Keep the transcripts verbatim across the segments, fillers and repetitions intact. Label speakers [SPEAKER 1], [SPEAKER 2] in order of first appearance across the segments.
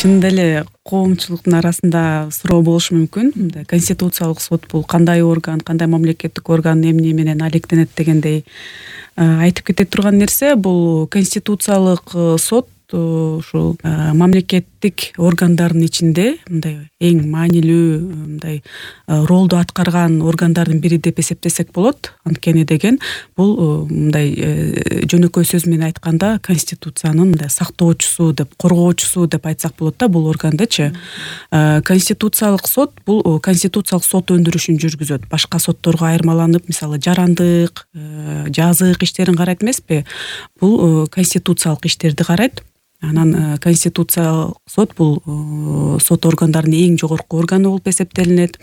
[SPEAKER 1] чынында эле коомчулуктун арасында суроо болушу мүмкүн. Мындай конституциялык сот бул кандай орган, кандай мамлекеттик орган, эмне менен алектенет дегендей айтып кете турган нерсе. Бул конституциялык сот ушул мамлекеттик органдардын ичинде мындай эң маанилүү мындай ролду аткарган органдардын бири деп эсептесек болот. Анткени деген бул мындай жөнөкөй сөз менен айтканда конституциянын мындай сактоочусу деп, коргоочусу деп айтсак болот да бул органдычы. Конституциялык сот бул конституциялык сот өндүрүшүн жүргүзөт. Башка сотторго айырмаланып, мисалы жарандык, жазык иштерин карайт эмеспи? Бул конституциялык иштерди карайт. Анан конституциялык сот бул сот органдарынын эң жогорку органы болуп эсептелинет.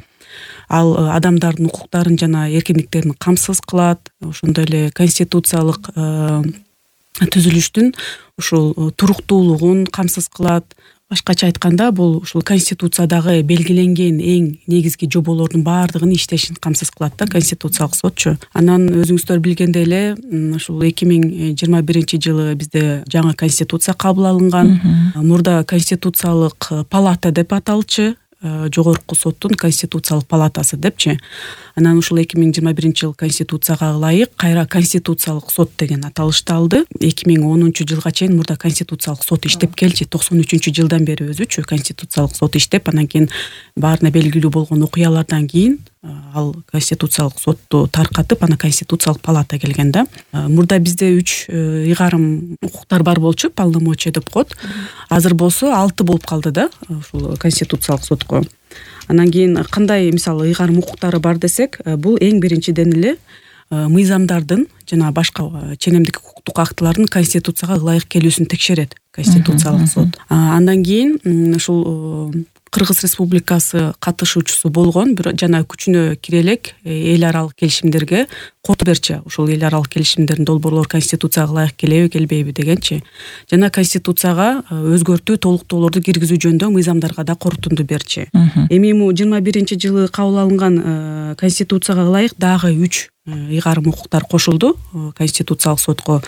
[SPEAKER 1] Ал адамдардын укуктарын жана эркиндиктерин камсыз кылат. Ошондой эле конституциялык түзүлүштүн ушул туруктуулугун камсыз кылат. Башкача айтканда бул ушул конституциядагы белгиленген эң негизги жоболордун баардыгын иштешин камсыз кылат да конституциялык сотчу. Анан өзүңүздөр билгендей эле ушул эки миң жыйырма биринчи жылы бизде жаңы конституция кабыл алынган. Мурда конституциялык палата деп аталчу. Жогорку соттун конституциялык палатасы депчи. Анан ушул эки миң жыйырма биринчи жыл конституцияга ылайык кайра конституциялык сот деген аталышты алды. эки миң онунчу жылга чейин мурда конституциялык сот иштеп келчү. токсон үчүнчү жылдан бери өзүчү конституциялык сот иштеп, анан кийин баарына белгилүү болгон окуялардан кийин ал конституциялык сотту таркатып, анан конституциялык палата келген да. Мурда бизде үч ыйгарым укуктар бар болчу, полномочия деп коет. Азыр болсо алты болуп калды да ушул конституциялык сотко. Анан кийин кандай мисалы ыйгарым укуктары бар десек, бул эң биринчиден эле мыйзамдардын жана башка ченемдик укуктук актылардын конституцияга ылайык келүүсүн текшерет конституциялык сот. Андан кийин ушул Кыргыз Республикасы катышуучусу болгон жана күчүнө кире элек эл аралык келишимдерге кол берчи. Ушул эл аралык келишимдердин долбоорлору конституцияга ылайык келеби, келбейби дегенчи. Жана конституцияга өзгөртүү, толуктоолорду киргизүү жөнүндө мыйзамдарга да корутунду берчи. Эми жыйырма биринчи жылы кабыл алынган конституцияга ылайык дагы үч ыйгарым укуктар кошулду конституциялык сотко.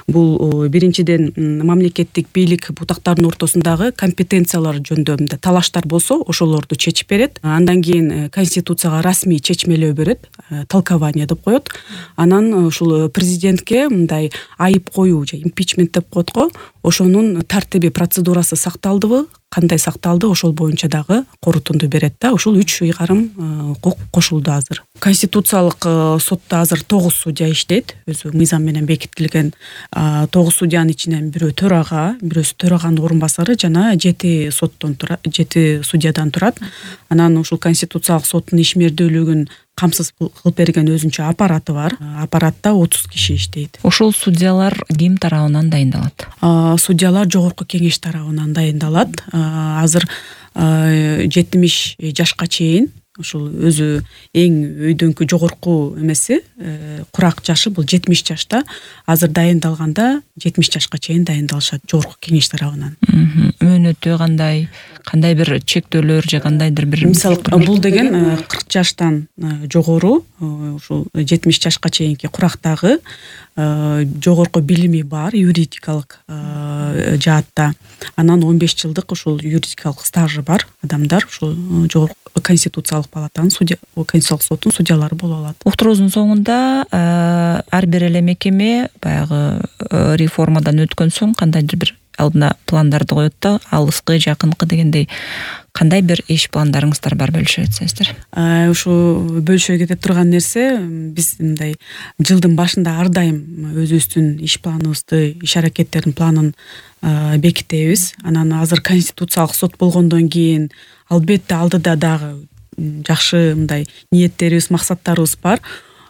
[SPEAKER 1] Бул биринчиден мамлекеттик бийлик бутактарынын ортосундагы компетенциялар жөнүндө талаштар болсо, ошолорду чечип берет. Андан кийин конституцияга расмий чечмелөө берет, толкование деп коет. Анан ушул президентке мындай айып коюу же импичмент деп коет го, ошонун тартиби, процедурасы сакталдыбы, кандай сакталды, ошол боюнча дагы корутунду берет да. Ушул үч ыйгарым укук кошулду азыр. Конституциялык сотто азыр тогуз судья иштейт. Өзү мыйзам менен бекитилген тогуз судьянын ичинен бирөө төрага, бирөөсү төраганын орун басары жана жети соттон турат, жети судьядан турат. Анан ушул конституциялык соттун ишмердүүлүгүн камсыз кылып берген өзүнчө аппараты бар. Аппаратта отуз киши иштейт.
[SPEAKER 2] Ошол судьялар ким тарабынан дайындалат?
[SPEAKER 1] Судьялар жогорку кеңеш тарабынан дайындалат. Азыр жетимиш жашка чейин ушул өзү эң өйдөнкү жогорку эмеси, курак жашы бул жетимиш жашта. Азыр дайындалганда жетимиш жашка чейин дайындалышат жогорку кеңеш тарабынан.
[SPEAKER 2] Мөөнөтү кандай, кандай бир чектөөлөр же кандайдыр бир
[SPEAKER 1] мисалы бул деген кырк жаштан жогору, ушул жетимиш жашка чейинки курактагы жогорку билими бар юридикалык жаатта. Анан он беш жылдык ушул юридикалык стажы бар адамдар ушул жогорку конституциялык палатанын судья, конституциялык соттун судьялары боло алат.
[SPEAKER 2] Уктуруубуздун соңунда ар бир эле мекеме баягы реформадан өткөн соң кандайдыр бир алдына пландарды коет да, алыскы, жакынкы дегендей. Кандай бир иш пландарыңыздар бар, бөлүшө кетсеңиздер?
[SPEAKER 1] Ушу бөлүшө кете турган нерсе, биз мындай жылдын башында ар дайым өзүбүздүн иш планыбызды, иш аракеттердин планын бекитебиз. Анан азыр конституциялык сот болгондон кийин албетте алдыда дагы жакшы мындай ниеттерибиз, максаттарыбыз бар.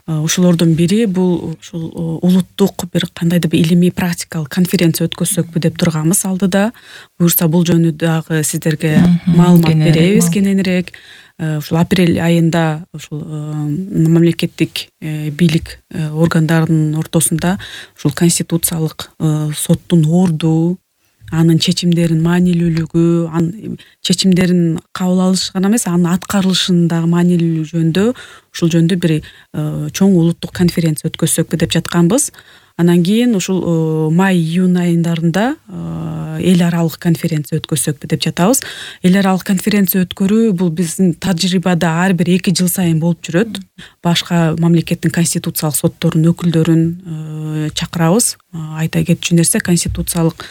[SPEAKER 1] Ошолордун бири бул ушул улуттук бир кандайдыр бир илимий практикалык конференция өткөзсөкпү деп турганбыз алдыда. Буюрса бул жөнүндө дагы сиздерге маалымат беребиз кененирээк. Ушул апрель айында ушул мамлекеттик бийлик органдарынын ортосунда ушул конституциялык соттун орду, анын чечимдеринин маанилүүлүгү, анын чечимдерин кабыл алыш гана эмес, анын аткарылышындагы маанилүүлүгү жөнүндө ушул жөнүндө бир чоң улуттук конференция өткөзсөкпү деп жатканбыз. Анан кийин ушул май-июнь айындарында эл аралык конференция өткөрсөкпү деп жатабыз. Эл аралык конференция өткөрүү бул биздин тажрыйбада ар бир эки жыл сайын болуп жүрөт. Башка мамлекеттин конституциялык сотторунун өкүлдөрүн чакырабыз. Айта кетчү нерсе, конституциялык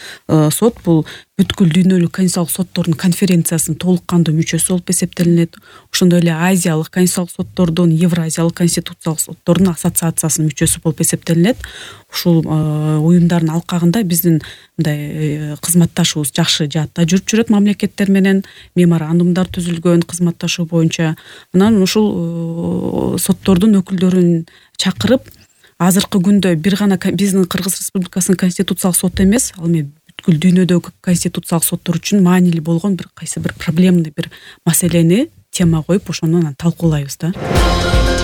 [SPEAKER 1] сот бул бүткүл дүйнөлүк конституциялык соттордун конференциясынын толук кандуу мүчөсү болуп эсептелинет. Ошондой эле Азиялык конституциялык соттордун, Евразиялык конституциялык соттордун ассоциациясынын мүчөсү болуп эсептелинет. Ушул уюмдардын алкагында биздин мындай кызматташуубуз жакшы жаатта жүрүп жүрөт мамлекеттер менен, меморандумдар түзүлгөн кызматташуу боюнча. Анан ушул соттордун өкүлдөрүн чакырып, азыркы күндө бир гана биздин Кыргыз Республикасынын конституциялык соты эмес, ал эми бүткүл дүйнөдөгү конституциялык соттор үчүн маанилүү болгон бир кайсы бир проблемный бир маселени тема коюп, ошону талкуулайбыз да.